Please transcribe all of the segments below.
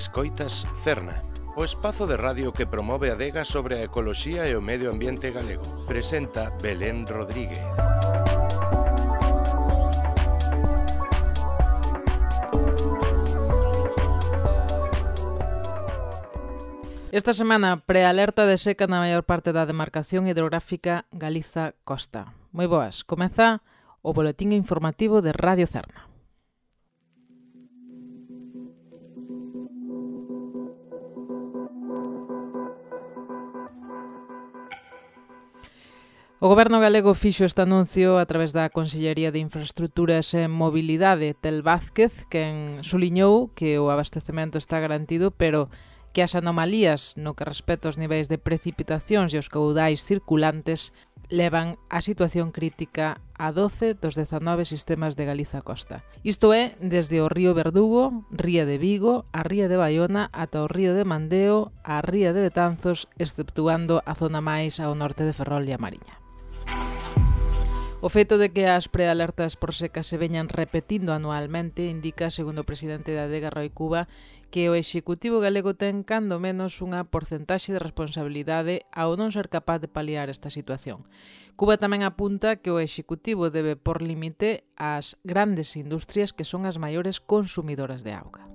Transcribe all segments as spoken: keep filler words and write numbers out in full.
Escoitas Cerna, o espazo de radio que promove a adega sobre a ecoloxía e o medio ambiente galego. Presenta Belén Rodríguez. Esta semana, prealerta de seca na maior parte da demarcación hidrográfica Galiza-Costa. Moi boas, comeza o boletín informativo de Radio Cerna. O Goberno galego fixo este anuncio a través da Consellería de Infraestructuras e Mobilidade, Tel Vázquez, quen suliñou que o abastecemento está garantido, pero que as anomalías no que respecta aos niveis de precipitacións e os caudais circulantes levan a situación crítica a doce dos dezanove sistemas de Galiza-Costa. Isto é, desde o río Verdugo, ría de Vigo, a ría de Baiona, ata o río de Mandeo, a ría de Betanzos, exceptuando a zona máis ao norte de Ferrol e a Mariña. O feito de que as prealertas por seca se veñan repetindo anualmente indica, segundo o presidente da adega, Roi Cuba, que o Executivo galego ten cando menos unha porcentaxe de responsabilidade ao non ser capaz de paliar esta situación. Cuba tamén apunta que o Executivo debe por límite ás grandes industrias que son as maiores consumidoras de auga.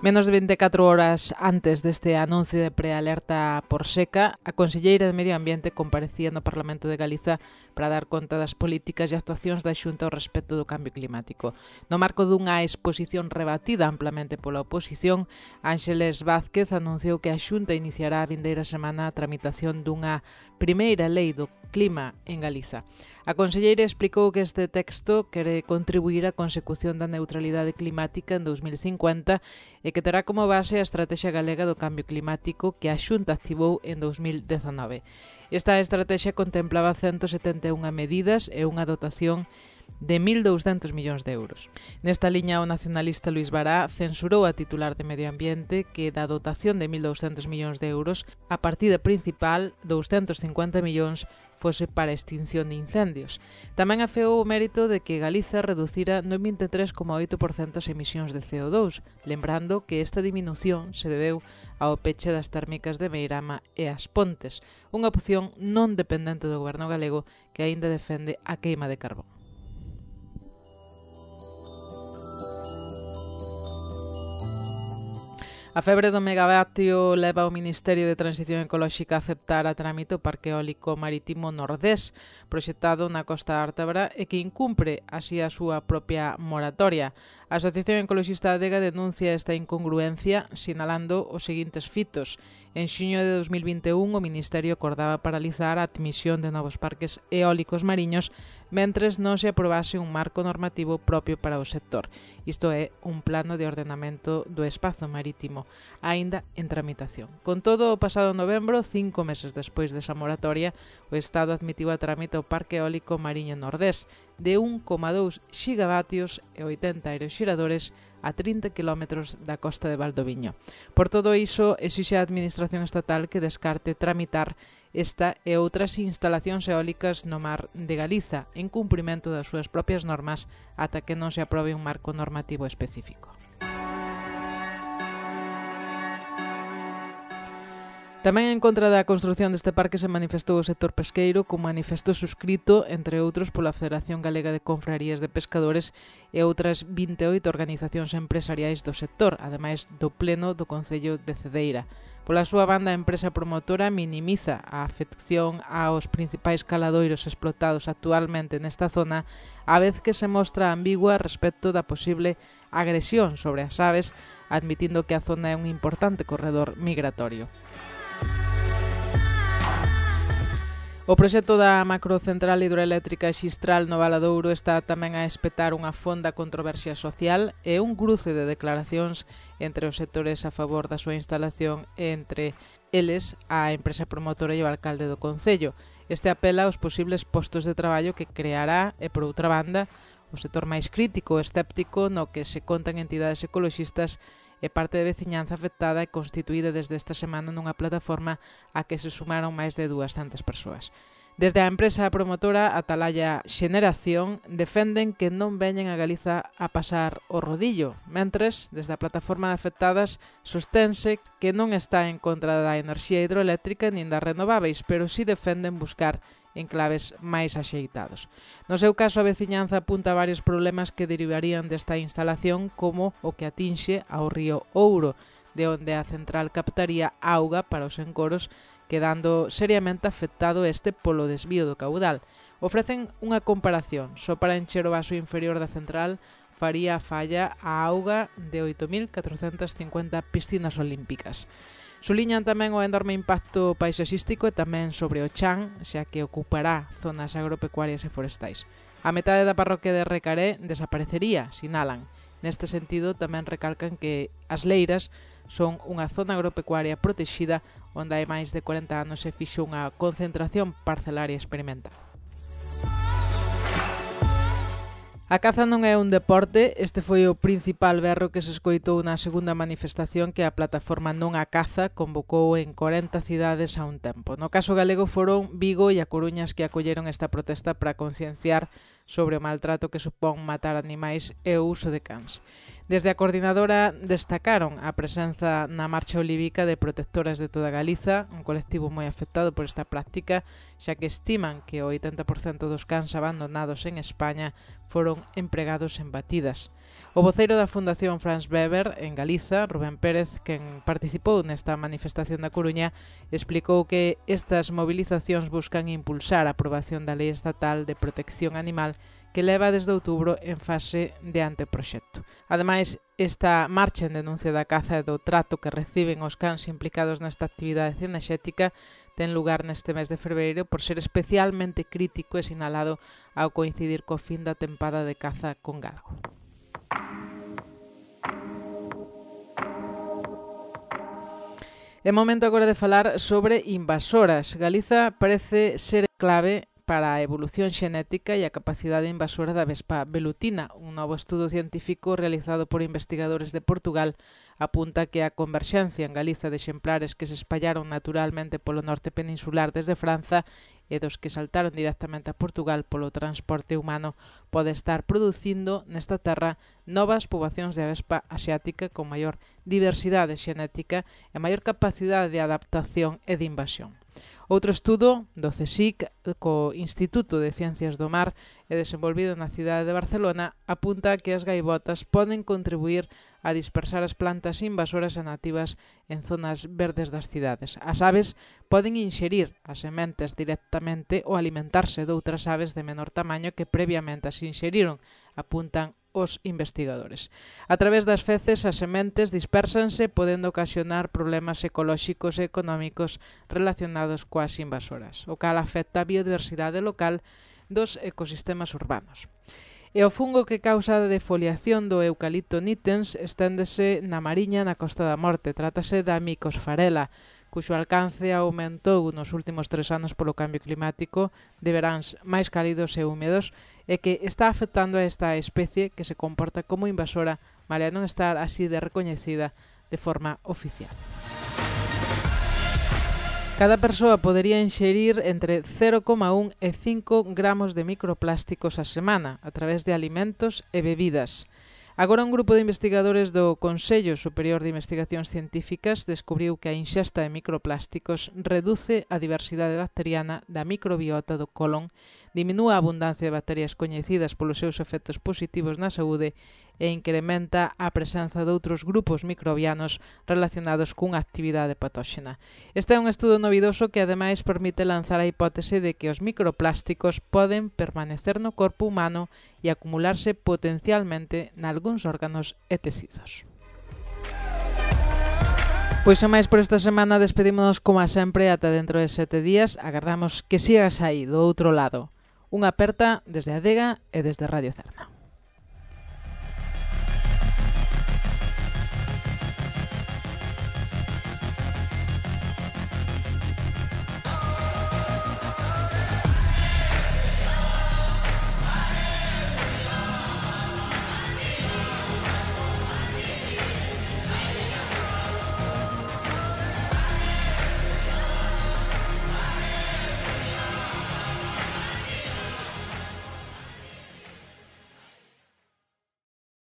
Menos de veinticuatro horas antes deste anuncio de prealerta por seca, a conselleira de Medio Ambiente comparecía no Parlamento de Galiza para dar conta das políticas e actuacións da Xunta ao respecto do cambio climático. No marco dunha exposición rebatida amplamente pola oposición, Ángeles Vázquez anunciou que a Xunta iniciará a vindeira semana a tramitación dunha primeira lei do clima en Galiza. A conselleira explicou que este texto quere contribuir á consecución da neutralidade climática en dous mil cincuenta e que terá como base a Estrategia Galega do Cambio Climático que a Xunta activou en dous mil dezanove. Esta estrategia contemplaba ciento setenta e unha medidas e unha dotación de mil douscentos millóns de euros. Nesta liña, o nacionalista Luís Bará censurou a titular de Medio Ambiente que da dotación de mil douscentos millóns de euros, a partida principal, douscentos cincuenta millóns, fose para extinción de incendios. Tamén afeou o mérito de que Galiza reducira no vinte e tres coma oito por cento as emisións de C O dous, lembrando que esta diminución se debeu ao peche das térmicas de Meirama e As Pontes, unha opción non dependente do goberno galego que aínda defende a queima de carbón. A febre do megavatio leva o Ministerio de Transición Ecolóxica a aceptar a trámite o Parque Eólico Marítimo Nordés, proxectado na Costa Ártabra e que incumpre así a súa propia moratoria. A Asociación Ecoloxista Adega denuncia esta incongruencia sinalando os seguintes fitos. En xuño de dous mil vinte e un, o Ministerio acordaba paralizar a admisión de novos parques eólicos mariños mentres non se aprobase un marco normativo propio para o sector. Isto é, un plano de ordenamento do espazo marítimo, aínda en tramitación. Con todo, o pasado novembro, cinco meses despois desa moratoria, o Estado admitiu a trámite o Parque Eólico Mariño Nordés de un coma dous xigavatios e oitenta aeroxiradores a trinta quilómetros da costa de Valdoviño. Por todo iso, exixe a Administración Estatal que descarte tramitar esta e outras instalacións eólicas no mar de Galiza en cumprimento das súas propias normas ata que non se aprobe un marco normativo específico. Tamén en contra da construción deste parque se manifestou o sector pesqueiro cun manifesto suscrito, entre outros, pola Federación Galega de Confrarías de Pescadores e outras vinte e oito organizacións empresariais do sector, ademais do Pleno do Concello de Cedeira. Pola súa banda, a empresa promotora minimiza a afección aos principais caladoiros explotados actualmente nesta zona, a vez que se mostra ambigua respecto da posible agresión sobre as aves, admitindo que a zona é un importante corredor migratorio. O proxecto da macrocentral hidroeléctrica Xistral no Valadouro está tamén a espetar unha fonda controversia social e un cruce de declaracións entre os sectores a favor da súa instalación e entre eles a empresa promotora e o alcalde do concello. Este apela aos posibles postos de traballo que creará e, por outra banda, o sector máis crítico e escéptico no que se contan entidades ecoloxistas e parte de veciñanza afectada e constituída desde esta semana nunha plataforma a que se sumaron máis de duascentas persoas. Desde a empresa promotora Atalaya Xeneración defenden que non veñen a Galiza a pasar o rodillo, mentres, desde a plataforma de afectadas, sostense que non está en contra da enerxía hidroeléctrica nin das renováveis, pero si defenden buscar enclaves máis axeitados. No seu caso, a veciñanza apunta a varios problemas que derivarían desta instalación, como o que atinxe ao río Ouro, de onde a central captaría auga para os encoros, quedando seriamente afectado este polo desvío do caudal. Ofrecen unha comparación. Só para encher o vaso inferior da central faría a falla a auga de oito mil catrocentas cincuenta piscinas olímpicas. Suliñan tamén o enorme impacto paisaxístico e tamén sobre o chan, xa que ocupará zonas agropecuarias e forestais. A metade da parroquia de Recaré desaparecería, sinalan. Neste sentido, tamén recalcan que as Leiras son unha zona agropecuaria protexida onde hai máis de corenta anos se fixo unha concentración parcelaria experimental. A caza non é un deporte, este foi o principal berro que se escoitou na segunda manifestación que a plataforma Non a Caza convocou en corenta cidades a un tempo. No caso galego foron Vigo e a Coruña que acolleron esta protesta para concienciar sobre o maltrato que supón matar animais e o uso de cans. Desde a coordinadora destacaron a presenza na Marcha Olivica de protectoras de toda Galiza, un colectivo moi afectado por esta práctica, xa que estiman que o oitenta por cento dos cans abandonados en España foron empregados en batidas. O voceiro da Fundación Franz Weber en Galiza, Rubén Pérez, quen participou nesta manifestación da Coruña, explicou que estas movilizacións buscan impulsar a aprobación da Lei Estatal de Protección Animal que leva desde outubro en fase de anteproxecto. Ademais, esta marcha en denuncia da caza e do trato que reciben os cans implicados nesta actividade cinexética ten lugar neste mes de febreiro por ser especialmente crítico e sinalado ao coincidir co fin da tempada de caza con galgo. É momento agora de falar sobre invasoras. Galiza parece ser clave para a evolución xenética e a capacidade invasora da vespa velutina. Un novo estudo científico realizado por investigadores de Portugal apunta que a converxencia en Galiza de exemplares que se espallaron naturalmente polo norte peninsular desde Franza e dos que saltaron directamente a Portugal polo transporte humano pode estar producindo nesta terra novas poboacións de avespa asiática con maior diversidade xenética e maior capacidade de adaptación e de invasión. Outro estudo do CSIC co Instituto de Ciencias do Mar e desenvolvido na cidade de Barcelona apunta que as gaivotas poden contribuir a dispersar as plantas invasoras e nativas en zonas verdes das cidades. As aves poden inxerir as sementes directamente ou alimentarse de outras aves de menor tamaño que previamente as inxeriron, apuntan os investigadores. A través das feces, as sementes dispérsanse podendo ocasionar problemas ecolóxicos e económicos relacionados coas invasoras, o cal afecta a biodiversidade local dos ecosistemas urbanos. E o fungo que causa a defoliación do eucalipto nitens esténdese na Mariña na Costa da Morte. Trátase da Mycosfarella, cuxo alcance aumentou nos últimos tres anos polo cambio climático, de veráns máis cálidos e húmedos, e que está afectando a esta especie que se comporta como invasora, malia non estar así de recoñecida de forma oficial. Cada persoa podería inxerir entre cero coma un e cinco gramos de microplásticos a semana a través de alimentos e bebidas. Agora un grupo de investigadores do Consello Superior de Investigacións Científicas descubriu que a inxesta de microplásticos reduce a diversidade bacteriana da microbiota do colon, diminúa a abundancia de bacterias coñecidas polos seus efectos positivos na saúde e incrementa a presenza de outros grupos microbianos relacionados cunha actividade patóxena. Este é un estudo novidoso que ademais permite lanzar a hipótese de que os microplásticos poden permanecer no corpo humano e acumularse potencialmente nalgúns órganos e tecidos. Pois sen máis por esta semana, despedímonos como a sempre ata dentro de sete días. Agardamos que sigas aí do outro lado. Unha aperta desde Adega e desde Radio Cerna.